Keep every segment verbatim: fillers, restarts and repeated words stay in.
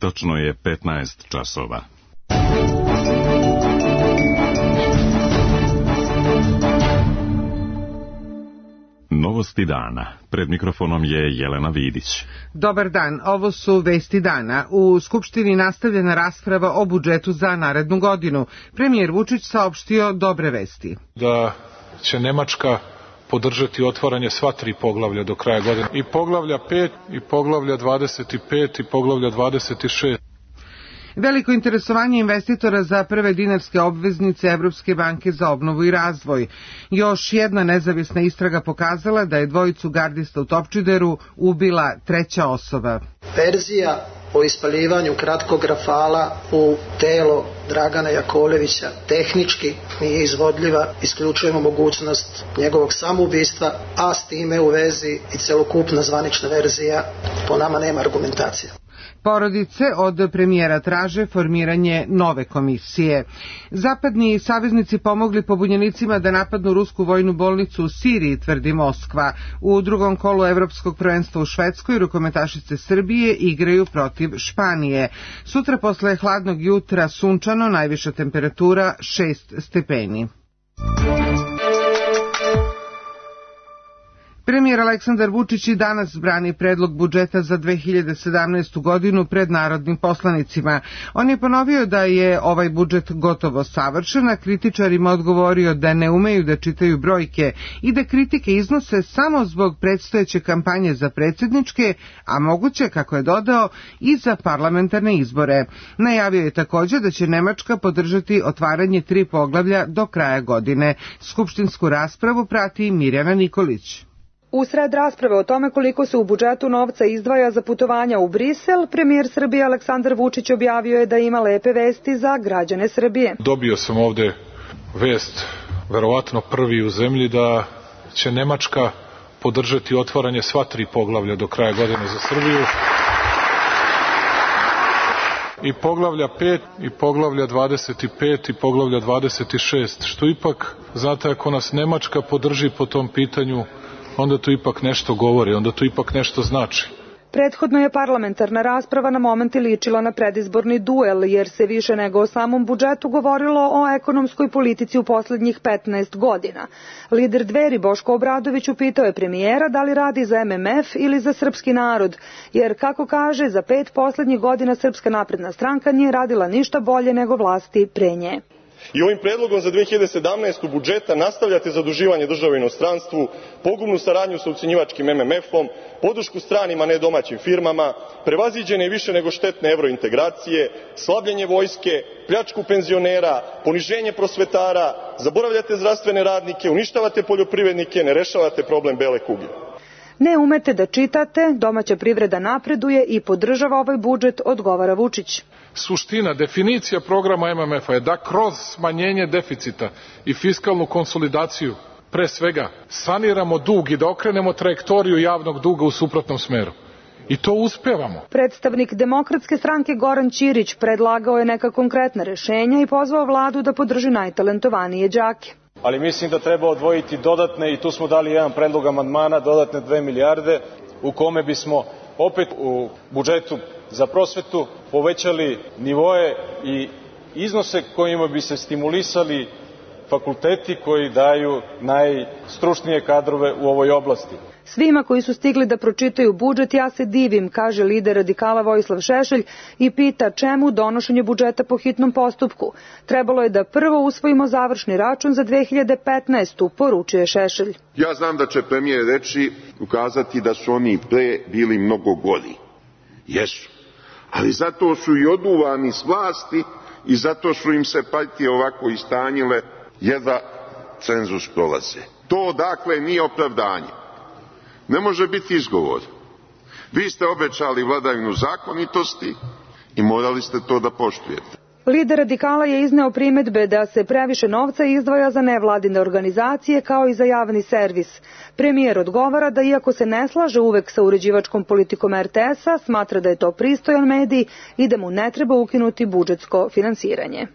Tačno je petnaest časova. Novosti dana. Pred mikrofonom je Jelena Vidić. Dobar dan, ovo su vesti dana. U Skupštini nastavljena rasprava o budžetu za narednu godinu. Premijer Vučić saopštio dobre vesti. Da će Nemačka podržati otvaranje sva tri poglavlja do kraja godine. I poglavlja pet, i poglavlja dvadeset pet, i poglavlja dvadeset šest. Veliko interesovanje investitora za prve dinarske obveznice Evropske banke za obnovu i razvoj. Još jedna nezavisna istraga pokazala da je dvojicu gardista u Topčideru ubila treća osoba. Verzija o ispaljivanju kratkog rafala u telo Dragana Jakovljevića tehnički nije izvodljiva, isključujemo mogućnost njegovog samoubistva, a s time u vezi i celokupna zvanična verzija po nama nema argumentacije. Porodice od premijera traže formiranje nove komisije. Zapadni saveznici pomogli pobunjenicima da napadnu rusku vojnu bolnicu u Siriji, tvrdi Moskva. U drugom kolu Evropskog prvenstva u Švedskoj rukometašice Srbije igraju protiv Španije. Sutra posle hladnog jutra sunčano, najviša temperatura šest stepeni. Premijer Aleksandar Vučić i danas brani predlog budžeta za dve hiljade sedamnaestu. godinu pred narodnim poslanicima. On je ponovio da je ovaj budžet gotovo savršen, a kritičarima odgovorio da ne umeju da čitaju brojke i da kritike iznose samo zbog predstojeće kampanje za predsjedničke, a moguće, kako je dodao, i za parlamentarne izbore. Najavio je također da će Nemačka podržati otvaranje tri poglavlja do kraja godine. Skupštinsku raspravu prati Mirjana Nikolić. Usred rasprave o tome koliko se u budžetu novca izdvaja za putovanja u Brisel, premijer Srbije Aleksandar Vučić objavio je da ima lepe vesti za građane Srbije. Dobio sam ovde vest, verovatno prvi u zemlji, da će Nemačka podržati otvaranje sva tri poglavlja do kraja godine za Srbiju. I poglavlja pet, i poglavlja dvadeset pet, i poglavlja dvadeset šest, što ipak, znate, ako nas Nemačka podrži po tom pitanju, onda to ipak nešto govori, onda to ipak nešto znači. Prethodno je parlamentarna rasprava na momenti ličila na predizborni duel, jer se više nego o samom budžetu govorilo o ekonomskoj politici u poslednjih petnaest godina. Lider Dveri Boško Obradović upitao je premijera da li radi za M M F ili za srpski narod, jer, kako kaže, za pet poslednjih godina Srpska napredna stranka nije radila ništa bolje nego vlasti pre nje. I ovim predlogom za dve hiljade sedamnaestu. budžeta nastavljate zaduživanje države u inostranstvu, pogubnu saradnju sa ucenjivačkim M M F-om, podršku stranim a ne domaćim firmama, prevaziđene više nego štetne evrointegracije, slabljenje vojske, pljačku penzionera, poniženje prosvetara, zaboravljate zdravstvene radnike, uništavate poljoprivrednike, ne rešavate problem bele kuge. Ne umete da čitate, domaća privreda napreduje i podržava ovaj budžet, odgovara Vučić. Suština, definicija programa M M F-a je da kroz smanjenje deficita i fiskalnu konsolidaciju, pre svega, saniramo dug i da okrenemo trajektoriju javnog duga u suprotnom smeru. I to uspevamo. Predstavnik Demokratske stranke Goran Ćirić predlagao je neka konkretna rešenja i pozvao vladu da podrži najtalentovanije đake. Ali mislim da treba odvojiti dodatne, i tu smo dali jedan predlog amandmana, dodatne dve milijarde, u kome bismo opet u budžetu za prosvetu povećali nivoe i iznose kojima bi se stimulisali fakulteti koji daju najstručnije kadrove u ovoj oblasti. Svima koji su stigli da pročitaju budžet ja se divim, kaže lider radikala Vojislav Šešelj i pita čemu donošenje budžeta po hitnom postupku. Trebalo je da prvo usvojimo završni račun za dve hiljade petnaestu. poručuje Šešelj. Ja znam da će premijer reći, ukazati da su oni pre bili mnogo gori. Jesu. Ali zato su i oduvani s vlasti i zato su im se partije ovako istanjile jer da cenzus prolaze. To dakle nije opravdanje. Ne može biti izgovor. Vi ste obećali vladavinu zakonitosti i morali ste to da poštujete. Lider radikala je izneo primedbe da se previše novca izdvaja za nevladine organizacije kao i za javni servis. Premijer odgovara da iako se ne slaže uvek sa uređivačkom politikom R T S-a, smatra da je to pristojan medij i da mu ne treba ukinuti budžetsko finansiranje.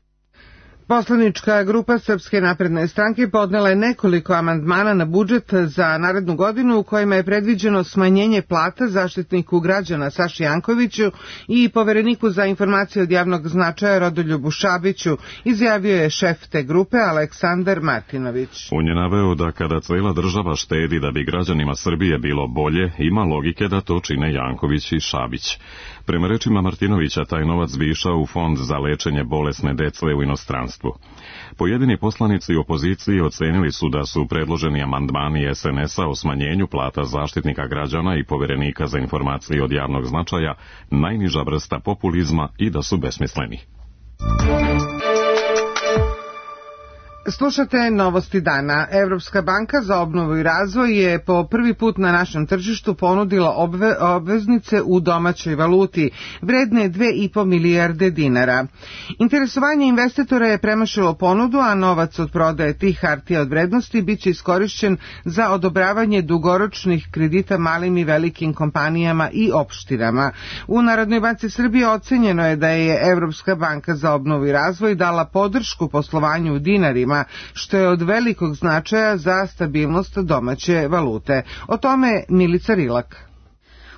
Poslanička grupa Srpske napredne stranke podnela je nekoliko amandmana na budžet za narednu godinu u kojima je predviđeno smanjenje plata zaštitniku građana Saši Jankoviću i povereniku za informacije od javnog značaja Rodoljubu Šabiću, izjavio je šef te grupe Aleksandar Martinović. On je naveo da kada cela država štedi da bi građanima Srbije bilo bolje, ima logike da to čine Janković i Šabić. Prema rečima Martinovića, taj novac bi išao u fond za lečenje bolesne dece u inostranstvu. Pojedini poslanici opozicije ocenili su da su predloženi amandmani es en es a o smanjenju plata zaštitnika građana i poverenika za informacije od javnog značaja najniža vrsta populizma i da su besmisleni. Slušate novosti dana. Evropska banka za obnovu i razvoj je po prvi put na našem tržištu ponudila obve, obveznice u domaćoj valuti, vredne dve i po milijarde dinara. Interesovanje investitora je premašilo ponudu, a novac od prodaje tih hartija od vrednosti biće iskorišćen za odobravanje dugoročnih kredita malim i velikim kompanijama i opštinama. U Narodnoj banci Srbije ocenjeno je da je Evropska banka za obnovu i razvoj dala podršku poslovanju u dinarima, što je od velikog značaja za stabilnost domaće valute. O tome Milica Rilak.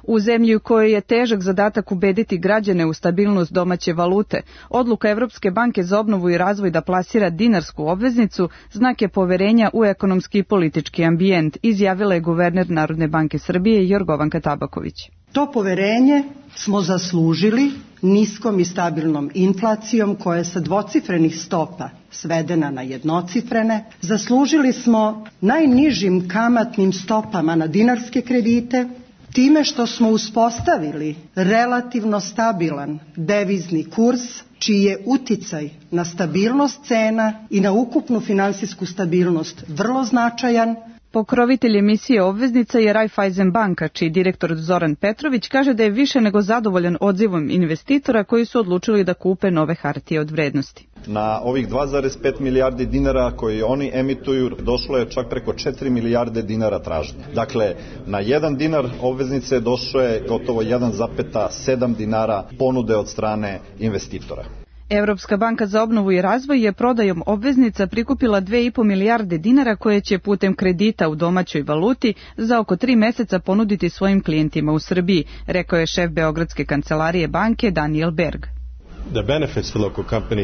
U zemlji u kojoj je težak zadatak ubediti građane u stabilnost domaće valute, odluka Evropske banke za obnovu i razvoj da plasira dinarsku obveznicu znak je poverenja u ekonomski i politički ambijent, izjavila je guverner Narodne banke Srbije Jorgovanka Tabaković. To poverenje smo zaslužili niskom i stabilnom inflacijom koja je sa dvocifrenih stopa svedena na jednocifrene. Zaslužili smo najnižim kamatnim stopama na dinarske kredite, time što smo uspostavili relativno stabilan devizni kurs, čiji je uticaj na stabilnost cena i na ukupnu finansijsku stabilnost vrlo značajan. Pokrovitelj emisije obveznica je Raiffeisen banka, čiji direktor Zoran Petrović kaže da je više nego zadovoljan odzivom investitora koji su odlučili da kupe nove hartije od vrednosti. Na ovih dva zarez pet milijardi dinara koji oni emituju došlo je čak preko četiri milijarde dinara tražnje. Dakle, na jedan dinar obveznice došlo je gotovo jedan zarez sedam dinara ponude od strane investitora. Evropska banka za obnovu i razvoj je prodajom obveznica prikupila dve i po milijarde dinara koje će putem kredita u domaćoj valuti za oko tri meseca ponuditi svojim klijentima u Srbiji, rekao je šef Beogradske kancelarije banke Daniel Berg.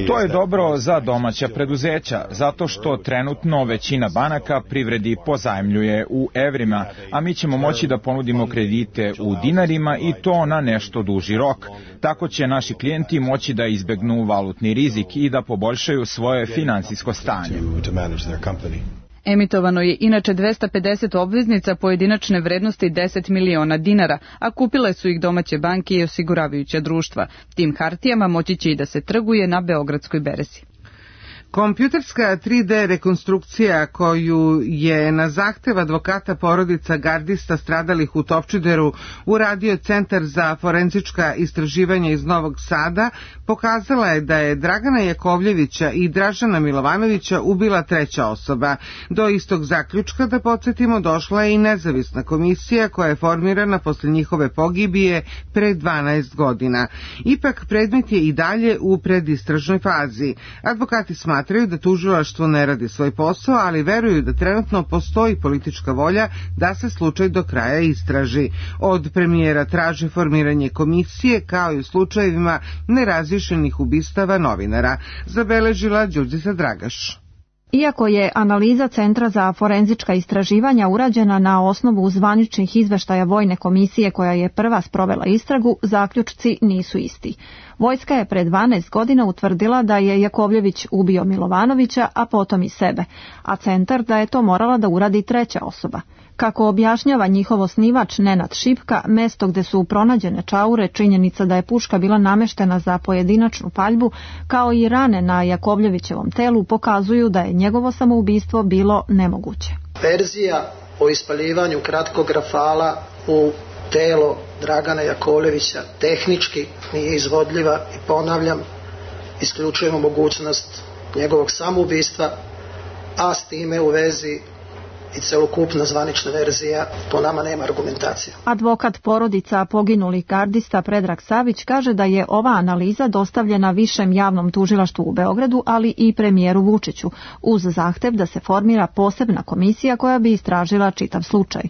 To je dobro za domaća preduzeća, zato što trenutno većina banaka privredi pozajmljuje u evrima, a mi ćemo moći da ponudimo kredite u dinarima i to na nešto duži rok. Tako će naši klijenti moći da izbegnu valutni rizik i da poboljšaju svoje finansijsko stanje. Emitovano je inače dvesta pedeset obveznica pojedinačne vrednosti deset miliona dinara, a kupile su ih domaće banke i osiguravajuća društva. Tim hartijama moći će i da se trguje na Beogradskoj berzi. Kompjuterska tri de rekonstrukcija koju je na zahtev advokata porodica gardista stradalih u Topčideru uradio Centar za forenzička istraživanja iz Novog Sada pokazala je da je Dragana Jakovljevića i Dražana Milovanovića ubila treća osoba. Do istog zaključka, da podsjetimo, došla je i nezavisna komisija koja je formirana posle njihove pogibije pre dvanaest godina. Ipak predmet je i dalje u predistražnoj fazi. Advokati smatraju Smatraju da tužilaštvo ne radi svoj posao, ali veruju da trenutno postoji politička volja da se slučaj do kraja istraži. Od premijera traže formiranje komisije kao i u slučajevima nerazrješenih ubistava novinara, zabeležila Đurđica Dragaš. Iako je analiza Centra za forenzička istraživanja urađena na osnovu zvaničnih izveštaja Vojne komisije koja je prva sprovela istragu, zaključci nisu isti. Vojska je pre dvanaest godina utvrdila da je Jakovljević ubio Milovanovića, a potom i sebe, a Centar da je to morala da uradi treća osoba. Kako objašnjava njihov osnivač Nenad Šipka, mesto gde su pronađene čaure, činjenica da je puška bila nameštena za pojedinačnu paljbu, kao i rane na Jakovljevićevom telu, pokazuju da je njegovo samoubistvo bilo nemoguće. Verzija o ispaljivanju kratkog rafala u telo Dragana Jakovljevića tehnički nije izvodljiva i, ponavljam, isključujemo mogućnost njegovog samoubistva, a s time u vezi i celokupna zvanična verzija po nama nema argumentacije. Advokat porodica poginulih gardista Predrag Savić kaže da je ova analiza dostavljena Višem javnom tužilaštvu u Beogradu, ali i premijeru Vučiću, uz zahtev da se formira posebna komisija koja bi istražila čitav slučaj.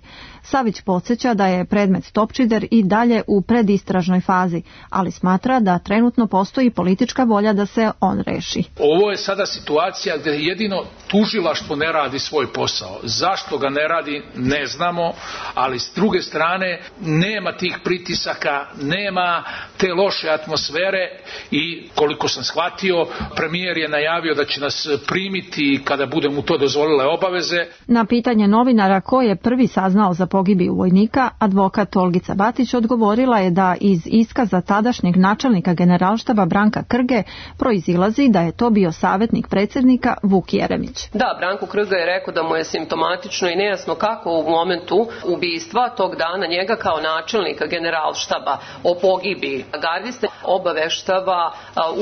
Savić podsjeća da je predmet Topčider i dalje u predistražnoj fazi, ali smatra da trenutno postoji politička volja da se on reši. Ovo je sada situacija gdje jedino tužilaštvo ne radi svoj posao. Zašto ga ne radi, ne znamo, ali s druge strane nema tih pritisaka, nema te loše atmosfere i koliko sam shvatio, premijer je najavio da će nas primiti kada bude mu to dozvolile obaveze. Na pitanje novinara ko je prvi saznao za pogibiju vojnika, advokat Olgica Batić odgovorila je da iz iskaza tadašnjeg načelnika generalštaba Branka Krge proizilazi da je to bio savjetnik predsjednika Vuk Jeremić. Da, Branko Krga je rekao da mu je simptomatično i nejasno kako u momentu ubistva tog dana njega kao načelnika generalštaba o pogibiji gardiste obaveštava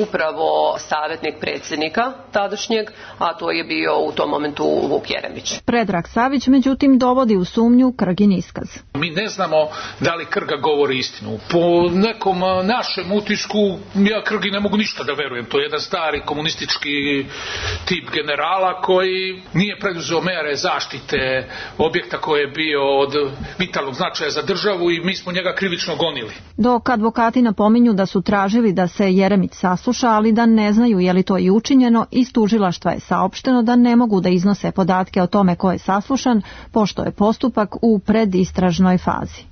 upravo savjetnik predsjednika tadašnjeg, a to je bio u tom momentu Vuk Jeremić. Predrag Savić međutim dovodi u sumnju Krgin iskaz. Mi ne znamo da li Krga govori istinu. Po nekom našem utisku ja Krgi ne mogu ništa da verujem. To je jedan stari komunistički tip generala koji nije preduzeo mere zaštite objekta koji je bio od vitalnog značaja za državu i mi smo njega krivično gonili. Dok advokati napominju da su tražili da se Jeremić sasluša, ali da ne znaju je li to i učinjeno, iz tužilaštva je saopšteno da ne mogu da iznose podatke o tome ko je saslušan, pošto je postupak u predistražnoj fazi.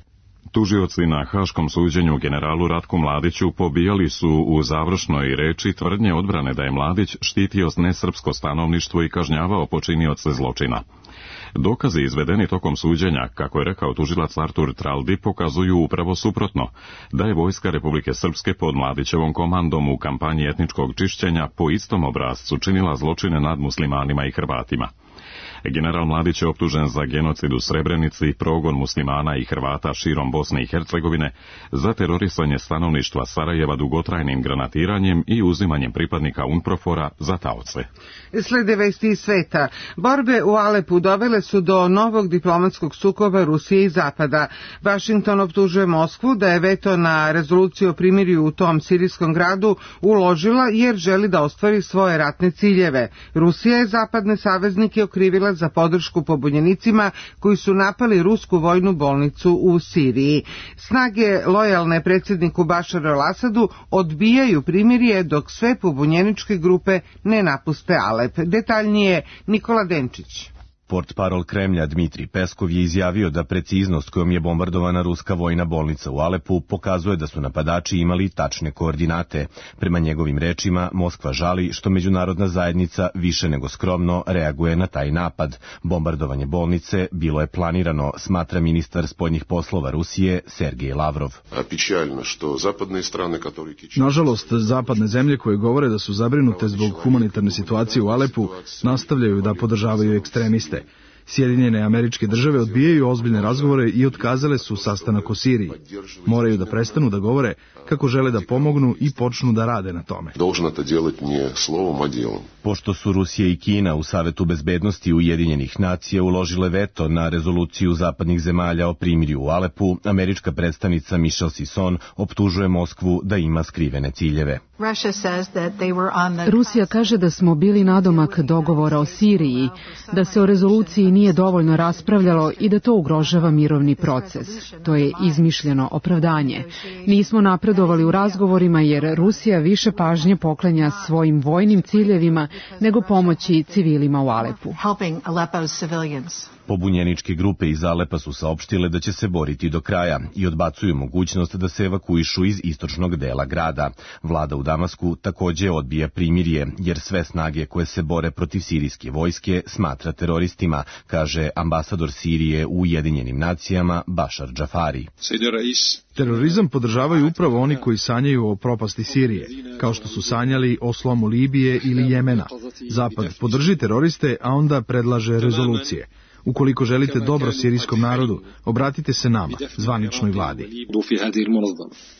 Tužioci na Haškom suđenju generalu Ratku Mladiću pobijali su u završnoj reči tvrdnje odbrane da je Mladić štitio nesrpsko stanovništvo i kažnjavao počinioce zločina. Dokazi izvedeni tokom suđenja, kako je rekao tužilac Artur Traldi, pokazuju upravo suprotno, da je Vojska Republike Srpske pod Mladićevom komandom u kampanji etničkog čišćenja po istom obrascu činila zločine nad muslimanima i Hrvatima. General Mladić je optužen za genocid u Srebrenici, progon muslimana i Hrvata širom Bosne i Hercegovine, za terorisanje stanovništva Sarajeva dugotrajnim granatiranjem i uzimanjem pripadnika UNPROFOR-a za taoce. Slede vesti iz sveta. Borbe u Alepu dovele su do novog diplomatskog sukoba Rusije i Zapada. Vašington optužuje Moskvu da je veto na rezoluciju o primirju u tom sirijskom gradu uložila jer želi da ostvari svoje ratne ciljeve. Rusija je zapadne saveznike okrivila za podršku pobunjenicima koji su napali rusku vojnu bolnicu u Siriji. Snage lojalne predsjedniku Bašaru al-Asadu odbijaju primirje dok sve pobunjeničke grupe ne napuste Alep. Detaljnije Nikola Denčić. Portparol Kremlja Dmitrij Peskov je izjavio da preciznost kojom je bombardovana ruska vojna bolnica u Alepu pokazuje da su napadači imali tačne koordinate. Prema njegovim rečima, Moskva žali što međunarodna zajednica više nego skromno reaguje na taj napad. Bombardovanje bolnice bilo je planirano, smatra ministar spoljnih poslova Rusije Sergej Lavrov. Nažalost, zapadne zemlje koje govore da su zabrinute zbog humanitarne situacije u Alepu nastavljaju da podržavaju ekstremiste. Sjedinjene Američke Države odbijaju ozbiljne razgovore i otkazale su sastanak o Siriji. Moraju da prestanu da govore kako žele da pomognu i počnu da rade na tome. Pošto su Rusija i Kina u Savetu bezbednosti Ujedinjenih nacija uložile veto na rezoluciju zapadnih zemalja o primirju u Alepu, američka predstavnica Michelle Sisson optužuje Moskvu da ima skrivene ciljeve. Rusija kaže da smo bili nadomak dogovora o Siriji, da se o rezoluciji nije dovoljno raspravljalo i da to ugrožava mirovni proces. To je izmišljeno opravdanje. Nismo napredovali u razgovorima jer Rusija više pažnje poklanja svojim vojnim ciljevima nego pomoći civilima u Alepu. Pobunjeničke grupe iz Alepa su saopštile da će se boriti do kraja i odbacuju mogućnost da se evakuišu iz istočnog dela grada. Vlada u Damasku također odbija primirje, jer sve snage koje se bore protiv sirijske vojske smatra teroristima, kaže ambasador Sirije u Ujedinjenim nacijama Bašar Džafari. Terorizam podržavaju upravo oni koji sanjaju o propasti Sirije, kao što su sanjali o slomu Libije ili Jemena. Zapad podrži teroriste, a onda predlaže rezolucije. Ukoliko želite dobro sirijskom narodu, obratite se nama, zvaničnoj vladi.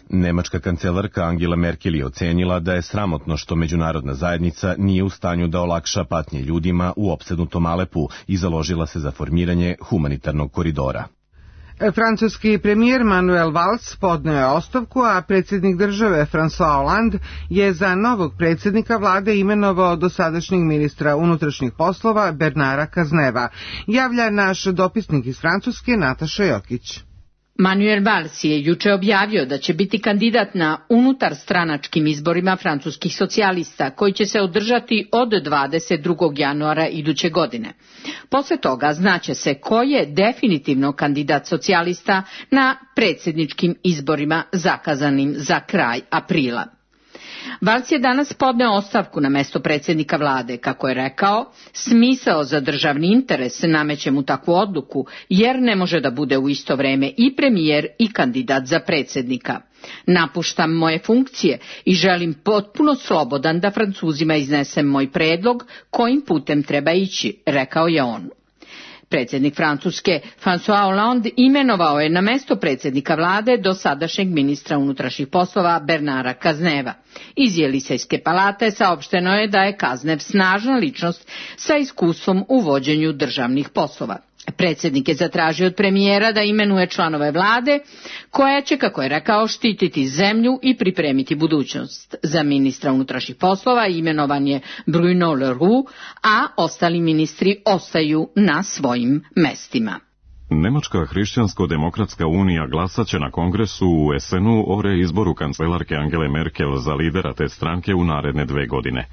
Nemačka kancelarka Angela Merkel je ocenila da je sramotno što međunarodna zajednica nije u stanju da olakša patnje ljudima u opsednutom Alepu i založila se za formiranje humanitarnog koridora. Francuski premijer Manuel Valls podneo je ostavku, a predsjednik države François Hollande je za novog predsjednika vlade imenovao dosadašnjeg ministra unutrašnjih poslova Bernara Cazeneva, javlja naš dopisnik iz Francuske Nataša Jokić. Manuel Valls je juče objavio da će biti kandidat na unutarstranačkim izborima francuskih socijalista koji će se održati od dvadeset drugog januara iduće godine. Posle toga znaće se ko je definitivno kandidat socijalista na predsjedničkim izborima zakazanim za kraj aprila. Valls je danas podneo ostavku na mesto predsjednika vlade. Kako je rekao, smisao za državni interes nameće mu takvu odluku, jer ne može da bude u isto vreme i premijer i kandidat za predsjednika. Napuštam moje funkcije i želim potpuno slobodan da Francuzima iznesem moj predlog kojim putem treba ići, rekao je on. Predsjednik Francuske François Hollande imenovao je na mesto predsjednika vlade dosadašnjeg ministra unutrašnjih poslova Bernara Cazeneva. Iz Jelisejske palate saopšteno je da je Cazenev snažna ličnost sa iskustvom u vođenju državnih poslova. Predsjednik je zatražio od premijera da imenuje članove vlade koja će, kako je rekao, štititi zemlju i pripremiti budućnost. Za ministra unutrašnjih poslova imenovan je Bruno Leroux, a ostali ministri ostaju na svojim mestima. Nemačka hrišćansko-demokratska unija glasat će na kongresu u esenu o reizboru kancelarke Angele Merkel za lidera te stranke u naredne dve godine.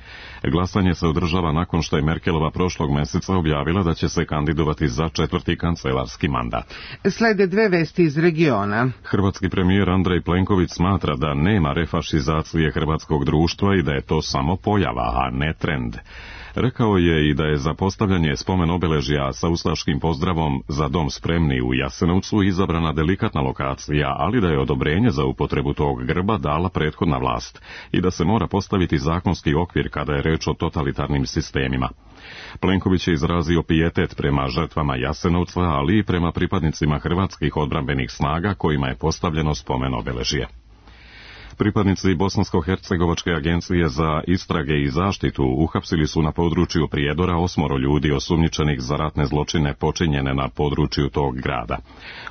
Glasanje se održava nakon što je Merkelova prošlog meseca objavila da će se kandidovati za četvrti kancelarski mandat. Slede dve vesti iz regiona. Hrvatski premijer Andrej Plenković smatra da nema refašizacije hrvatskog društva i da je to samo pojava, a ne trend. Rekao je i da je za postavljanje spomen obeležja sa ustaškim pozdravom Za dom spremni u Jasenovcu izabrana delikatna lokacija, ali da je odobrenje za upotrebu tog grba dala prethodna vlast i da se mora postaviti zakonski okvir kada je reč o totalitarnim sistemima. Plenković je izrazio pijetet prema žrtvama Jasenovca, ali i prema pripadnicima hrvatskih odbrambenih snaga kojima je postavljeno spomen obeležje. Pripadnici Bosansko-hercegovačke agencije za istrage i zaštitu uhapsili su na području Prijedora osmoro ljudi osumnjičenih za ratne zločine počinjene na području tog grada.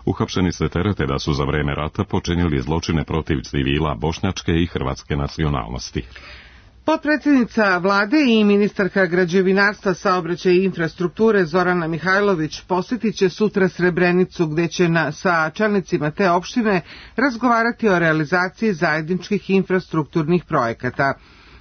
Uhapšeni se terete da su za vreme rata počinili zločine protiv civila bošnjačke i hrvatske nacionalnosti. Potpredsjednica vlade i ministarka građevinarstva, saobraćaja i infrastrukture Zorana Mihajlović posjetit će sutra Srebrenicu, gdje će na, sa čelnicima te opštine razgovarati o realizaciji zajedničkih infrastrukturnih projekata.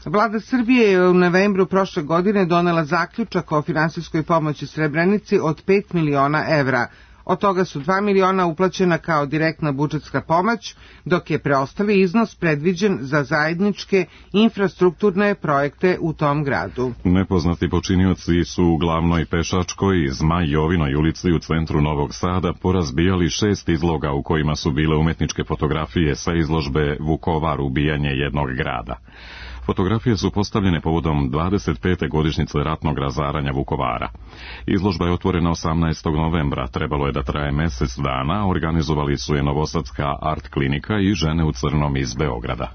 Vlada Srbije je u novembru prošle godine donela zaključak o finansijskoj pomoći Srebrenici od pet miliona evra. Od toga su dva miliona uplaćena kao direktna budžetska pomoć, dok je preostali iznos predviđen za zajedničke infrastrukturne projekte u tom gradu. Nepoznati počinioci su u glavnoj pešačkoj Zmaj Jovinoj ulici u centru Novog Sada porazbijali šest izloga u kojima su bile umetničke fotografije sa izložbe Vukovar, ubijanje jednog grada. Fotografije su postavljene povodom dvadeset pete godišnjice ratnog razaranja Vukovara. Izložba je otvorena osamnaestog novembra, trebalo je da traje mjesec dana, organizovali su je Novosadska art klinika i Žene u crnom iz Beograda.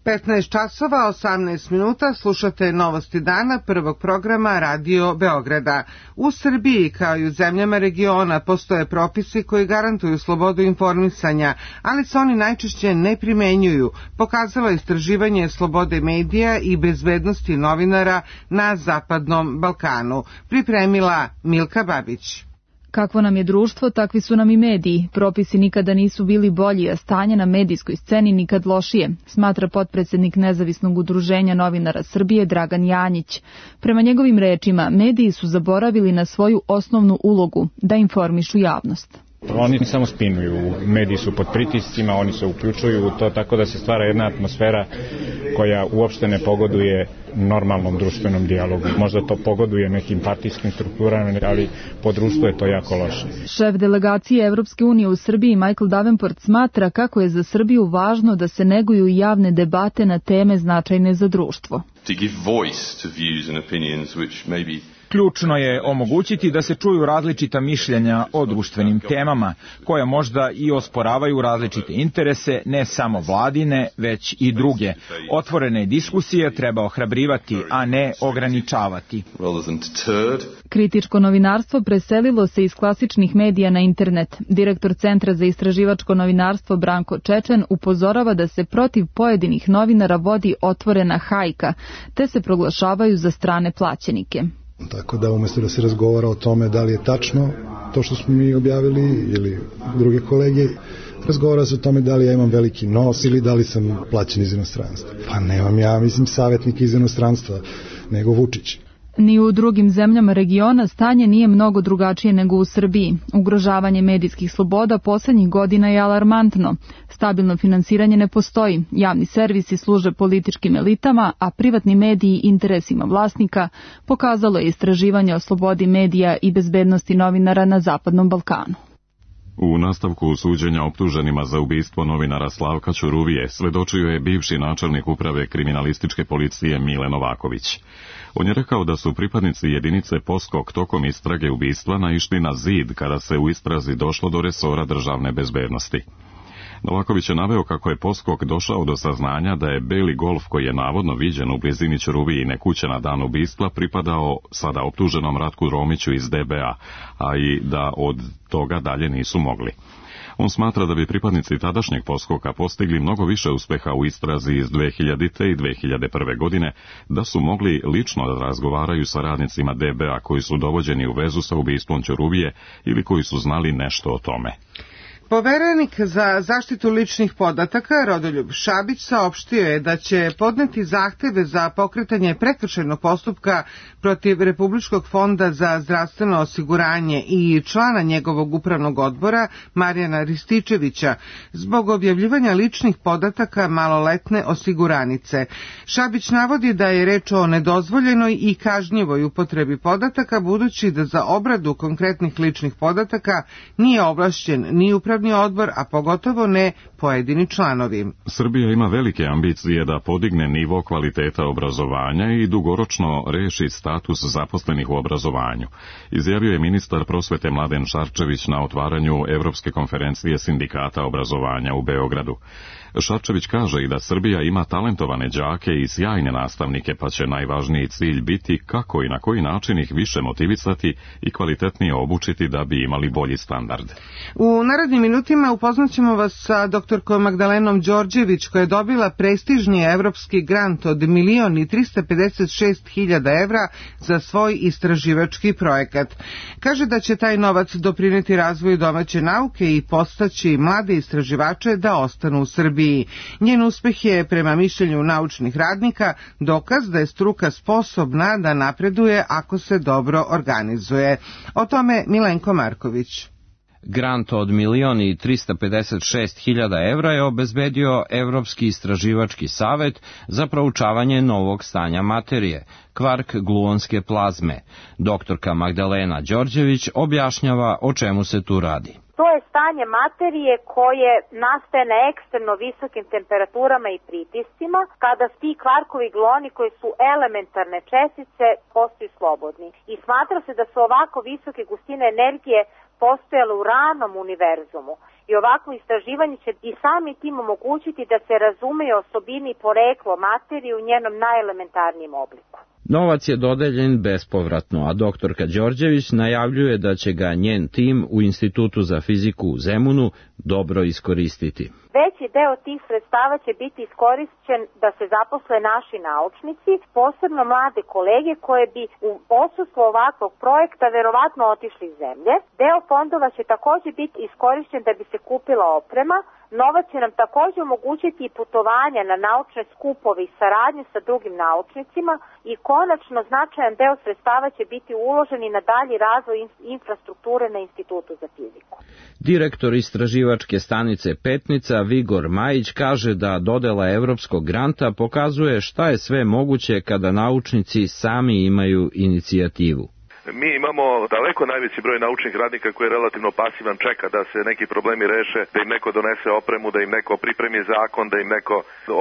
petnaest časova, osamnaest minuta, slušate novosti dana prvog programa Radio Beograda. U Srbiji, kao i u zemljama regiona, postoje propisi koji garantuju slobodu informisanja, ali se oni najčešće ne primenjuju, pokazalo istraživanje slobode medija i bezbednosti novinara na Zapadnom Balkanu. Pripremila Milka Babić. Kakvo nam je društvo, takvi su nam i mediji. Propisi nikada nisu bili bolji, a stanje na medijskoj sceni nikad lošije, smatra potpredsjednik Nezavisnog udruženja novinara Srbije Dragan Janjić. Prema njegovim rečima, mediji su zaboravili na svoju osnovnu ulogu, da informišu javnost. Oni samo spinuju, mediji su pod pritiscima, oni se uključuju u to, tako da se stvara jedna atmosfera koja uopšte ne pogoduje normalnom društvenom dijalogu. Možda to pogoduje nekim partijskim strukturama, ali po društvu je to jako loše. Šef delegacije Evropske unije u Srbiji Michael Davenport smatra kako je za Srbiju važno da se neguju javne debate na teme značajne za društvo. To give voice to views and opinions which maybe Ključno je omogućiti da se čuju različita mišljenja o društvenim temama, koja možda i osporavaju različite interese, ne samo vladine, već i druge. Otvorene diskusije treba ohrabrivati, a ne ograničavati. Kritičko novinarstvo preselilo se iz klasičnih medija na internet. Direktor Centra za istraživačko novinarstvo Branko Čečen upozorava da se protiv pojedinih novinara vodi otvorena hajka, te se proglašavaju za strane plaćenike. Tako da umjesto da se razgovara o tome da li je tačno to što smo mi objavili ili druge kolege, razgovara se o tome da li ja imam veliki nos ili da li sam plaćen iz inostranstva. Pa nemam ja, mislim, savjetnika iz inostranstva, nego Vučić. Ni u drugim zemljama regiona stanje nije mnogo drugačije nego u Srbiji. Ugrožavanje medijskih sloboda poslednjih godina je alarmantno. Stabilno finansiranje ne postoji, javni servisi služe političkim elitama, a privatni mediji interesima vlasnika, pokazalo je istraživanje o slobodi medija i bezbednosti novinara na Zapadnom Balkanu. U nastavku suđenja optuženima za ubistvo novinara Slavka Ćuruvije svedočio je bivši načelnik uprave kriminalističke policije Mile Novaković. On je rekao da su pripadnici jedinice Poskok tokom istrage ubistva naišli na zid kada se u istrazi došlo do resora državne bezbednosti. Novaković je naveo kako je Poskok došao do saznanja da je beli Golf koji je navodno viđen u blizini Ćuruvijine kuće na dan ubistva pripadao sada optuženom Ratku Romiću iz D B A, a i da od toga dalje nisu mogli. On smatra da bi pripadnici tadašnjeg Poskoka postigli mnogo više uspeha u istrazi iz dve hiljadite. i dve hiljade prve. godine, da su mogli lično da razgovaraju sa radnicima D B A koji su dovođeni u vezu sa ubistvom Ćuruvije ili koji su znali nešto o tome. Poverenik za zaštitu ličnih podataka Rodoljub Šabić saopštio je da će podneti zahteve za pokretanje prekršajnog postupka protiv Republičkog fonda za zdravstveno osiguranje i člana njegovog upravnog odbora Marijana Rističevića zbog objavljivanja ličnih podataka maloletne osiguranice. Šabić navodi da je reč o nedozvoljenoj i kažnjivoj upotrebi podataka, budući da za obradu konkretnih ličnih podataka nije ovlašćen ni upravni odbor, a pogotovo ne pojedini članovi. Srbija ima velike ambicije da podigne nivo kvaliteta obrazovanja i dugoročno reši status zaposlenih u obrazovanju, izjavio je ministar prosvete Mladen Šarčević na otvaranju Evropske konferencije sindikata obrazovanja u Beogradu. Šarčević kaže i da Srbija ima talentovane đake i sjajne nastavnike, pa će najvažniji cilj biti kako i na koji način ih više motivisati i kvalitetnije obučiti da bi imali bolji standard. U narednim minutima upoznaćemo vas sa doktorkom Magdalenom Đorđević, koja je dobila prestižni evropski grant od milion i trista pedeset šest hiljada evra za svoj istraživački projekat. Kaže da će taj novac doprineti razvoju domaće nauke i podstaći mlade istraživače da ostanu u Srbiji. Njen uspeh je, prema mišljenju naučnih radnika, dokaz da je struka sposobna da napreduje ako se dobro organizuje. O tome Milenko Marković. Grant od milion i trista pedeset šest hiljada evra je obezbedio Evropski istraživački savet za proučavanje novog stanja materije, kvark gluonske plazme. Doktorka Magdalena Đorđević objašnjava o čemu se tu radi. To je stanje materije koje nastaje na ekstremno visokim temperaturama i pritiscima, kada ti kvarkovi gluoni koji su elementarne čestice postaju slobodni. I smatra se da su ovako visoke gustine energije postojale u ranom univerzumu. I ovako istraživanje će i sami tim omogućiti da se razumeje osobini i poreklo materije u njenom najelementarnijem obliku. Novac je dodeljen bespovratno, a doktorka Đorđević najavljuje da će ga njen tim u Institutu za fiziku u Zemunu dobro iskoristiti. Veći deo tih sredstava će biti iskorišćen da se zaposle naši naučnici, posebno mlade kolege koje bi u odsustvu ovakvog projekta verovatno otišli iz zemlje. Deo fondova će također biti iskorišćen da bi se kupila oprema, Novac će nam također omogućiti i putovanja na naučne skupove i saradnju sa drugim naučnicima i konačno značajan deo sredstava će biti uložen i na dalji razvoj infrastrukture na Institutu za fiziku. Direktor istraživačke stanice Petnica Vigor Majić kaže da dodela evropskog granta pokazuje šta je sve moguće kada naučnici sami imaju inicijativu. Mi imamo daleko najveći broj naučnih radnika koji je relativno pasivan, čeka da se neki problemi reše, da im neko donese opremu, da im neko pripremi zakon, da im neko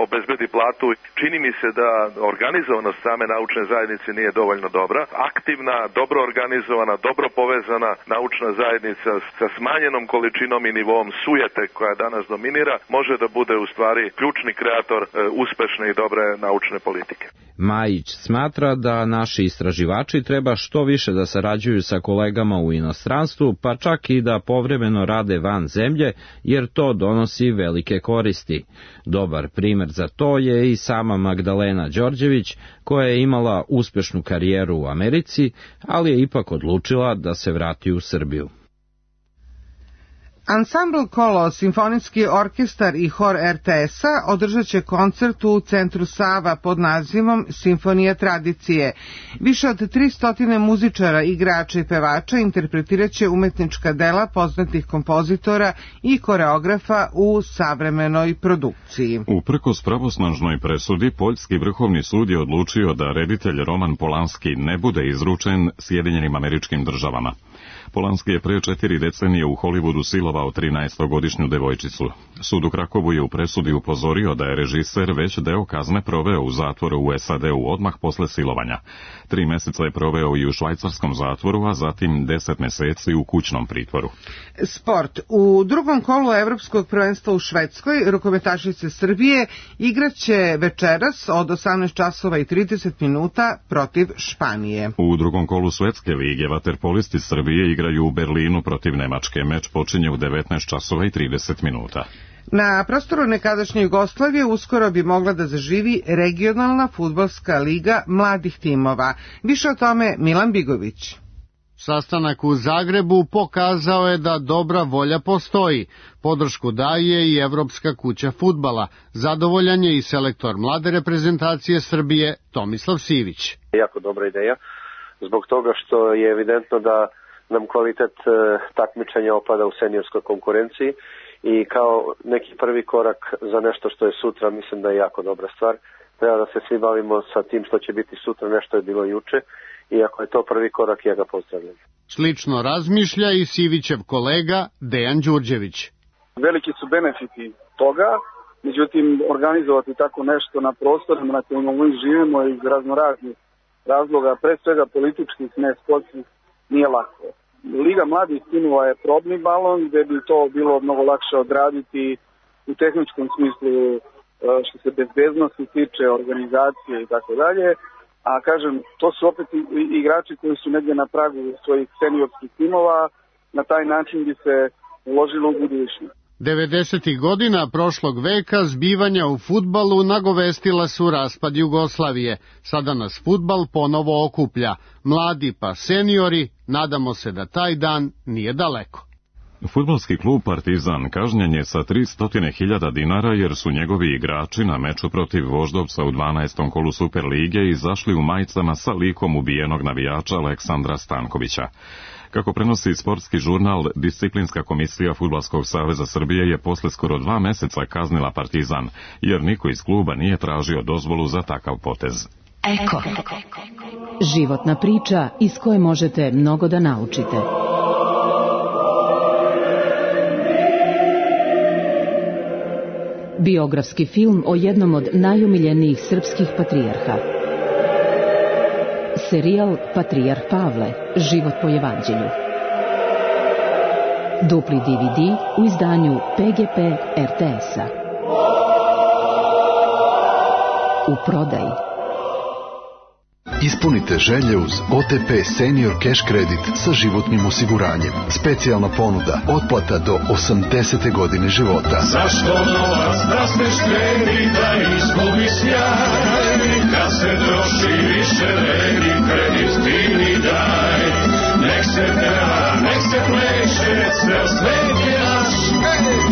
obezbedi platu. Čini mi se da organizovanost same naučne zajednice nije dovoljno dobra. Aktivna, dobro organizovana, dobro povezana naučna zajednica sa smanjenom količinom i nivom sujete koja danas dominira može da bude u stvari ključni kreator uspešne i dobre naučne politike. Majić smatra da naši istraživači treba što više da sarađuju sa kolegama u inostranstvu, pa čak i da povremeno rade van zemlje, jer to donosi velike koristi. Dobar primer za to je i sama Magdalena Đorđević, koja je imala uspešnu karijeru u Americi, ali je ipak odlučila da se vrati u Srbiju. Ansambl Kolo, simfonijski orkestar i hor er te es-a održat će koncert u Centru Sava pod nazivom Simfonija tradicije. Više od tristo muzičara, igrača i pevača interpretirat će umetnička dela poznatih kompozitora i koreografa u savremenoj produkciji. Uprkos pravosnažnoj presudi, Poljski vrhovni sud je odlučio da reditelj Roman Polanski ne bude izručen Sjedinjenim Američkim Državama. Polanski je pre četiri decenije u Hollywoodu silovao trinaestogodišnju devojčicu. Sud u Krakovu je u presudi upozorio da je režiser već deo kazne proveo u zatvoru u es a de u odmah posle silovanja. Tri meseca je proveo i u švajcarskom zatvoru, a zatim deset meseci u kućnom pritvoru. Sport. U drugom kolu Evropskog prvenstva u Švedskoj rukometašice Srbije igraće večeras od osamnaest časova i trideset minuta protiv Španije. U drugom kolu Svetske lige vaterpolisti Srbije igraju u Berlinu protiv Nemačke. Meč počinje u devetnaest časova i trideset minuta. Na prostoru nekadašnje Jugoslavije uskoro bi mogla da zaživi regionalna fudbalska liga mladih timova. Više o tome Milan Bigović. Sastanak u Zagrebu pokazao je da dobra volja postoji. Podršku daje i Evropska kuća fudbala. Zadovoljan je i selektor mlade reprezentacije Srbije Tomislav Sivić. Jako dobra ideja, zbog toga što je evidentno da nam kvalitet takmičenja opada u seniorskoj konkurenciji i kao neki prvi korak za nešto što je sutra, mislim da je jako dobra stvar. Treba da se svi bavimo sa tim što će biti sutra, nešto je bilo juče, i ako je to prvi korak, ja ga pozdravljam. Slično razmišlja i Sivićev kolega Dejan Đurđević. Veliki su benefiti toga, međutim organizovati tako nešto na prostorima na kojima mi živimo iz raznoraznih razloga, pre svega političkih, ne sportskih, nije lako. Liga mladih timova je probni balon gde bi to bilo mnogo lakše odraditi u tehničkom smislu što se bezbednosti tiče, organizacije i tako dalje. A kažem, to su opet igrači koji su negdje na pragu svojih seniorskih timova, na taj način bi se uložilo u budućnost. devedesetih godina prošlog veka zbivanja u fudbalu nagovestila su raspad Jugoslavije. Sada nas fudbal ponovo okuplja. Mladi pa seniori, nadamo se da taj dan nije daleko. Fudbalski klub Partizan kažnjen je sa tristo hiljada dinara jer su njegovi igrači na meču protiv Voždovca u dvanaestom kolu Superlige izašli u majicama sa likom ubijenog navijača Aleksandra Stankovića. Kako prenosi sportski žurnal, disciplinska komisija Fudbalskog saveza Srbije je posle skoro dva meseca kaznila Partizan, jer niko iz kluba nije tražio dozvolu za takav potez. Eko. Životna priča iz koje možete mnogo da naučite. Biografski film o jednom od najomiljenijih srpskih patrijarha. Serijal Patrijarh Pavle, život po evanđelju. Dupli de ve de u izdanju pe ge pe er te es-a. U prodaji. Ispunite želje uz o te pe Senior Cash Credit sa životnim osiguranjem. Specijalna ponuda, otplata do osamdesete godine života. Zašto novac da se štedi, da izgubi sjaj, kad se troši više vredi, kredit ti mi daj. Nek se peva, nek se pleše, cel svet je naš,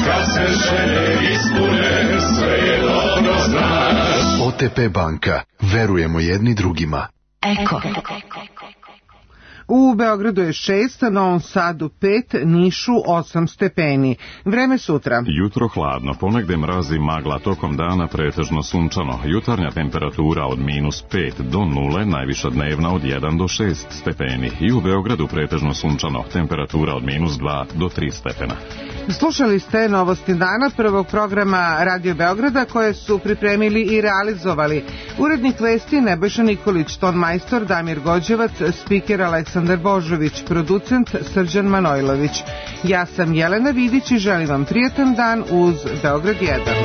kad se želje ispune, sve je dobro znaš. O T P banka. Verujemo jedni drugima. Eko. U Beogradu je šest, Novom Sadu pet, Nišu osam stepeni. Vreme sutra. Jutro hladno, ponegde mrazi magla, tokom dana pretežno sunčano. Jutarnja temperatura od minus pet do nule, najviša dnevna od jedan do šest stepeni. I u Beogradu pretežno sunčano, temperatura od minus dva do tri stepena. Slušali ste novosti dana prvog programa Radio Beograda koje su pripremili i realizovali. Urednik vesti Nebojša Nikolić, ton majstor Damir Gođevac, spiker Aleksandar Božović, producent Srđan Manojlović. Ja sam Jelena Vidić i želim vam prijatan dan uz Beograd jedan.